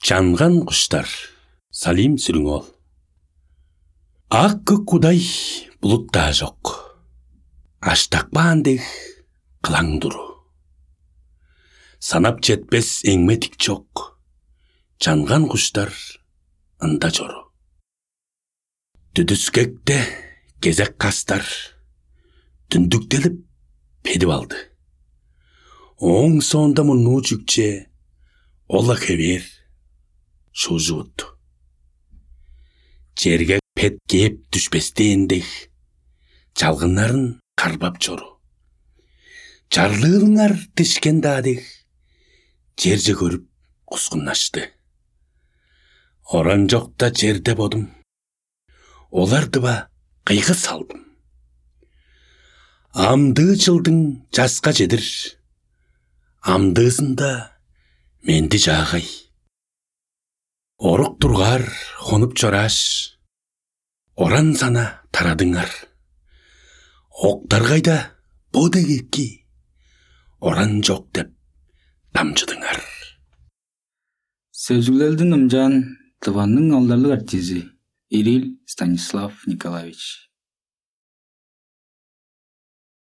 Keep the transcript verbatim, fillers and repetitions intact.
Чанган куштар. Салим Сүрүң-оол. Ак көк кудай булут-даа чок. Аштак баан дег кылаң туру. Санап четпес эңме тик чок. Чанган куштар ында чору. Дүдүскекте кезек кастар дүндүктелип педип алды. Ооң соонда мурнуу чүкче ол-ла хевээр шуужуп утту. Черге пет кээп дүшпестээн дег, чалгыннарын карбап чору. Чарлыылыңар дишкен-даа дег, черже көрүп кускуннашты. Оранчокта черде бодум олар дыва кыйгы салдым. Амдыы чылдың часка чедир амдыызында менди чаагай. Орук тургаар хонуп чорааш, оран сана тарадыңар. Октаргайда бо дег эки оран чок деп дамчыдыңар. Сөзүглелдин ымчаан Тываның алдарлыг артизи Ирил Станислав Николаевич.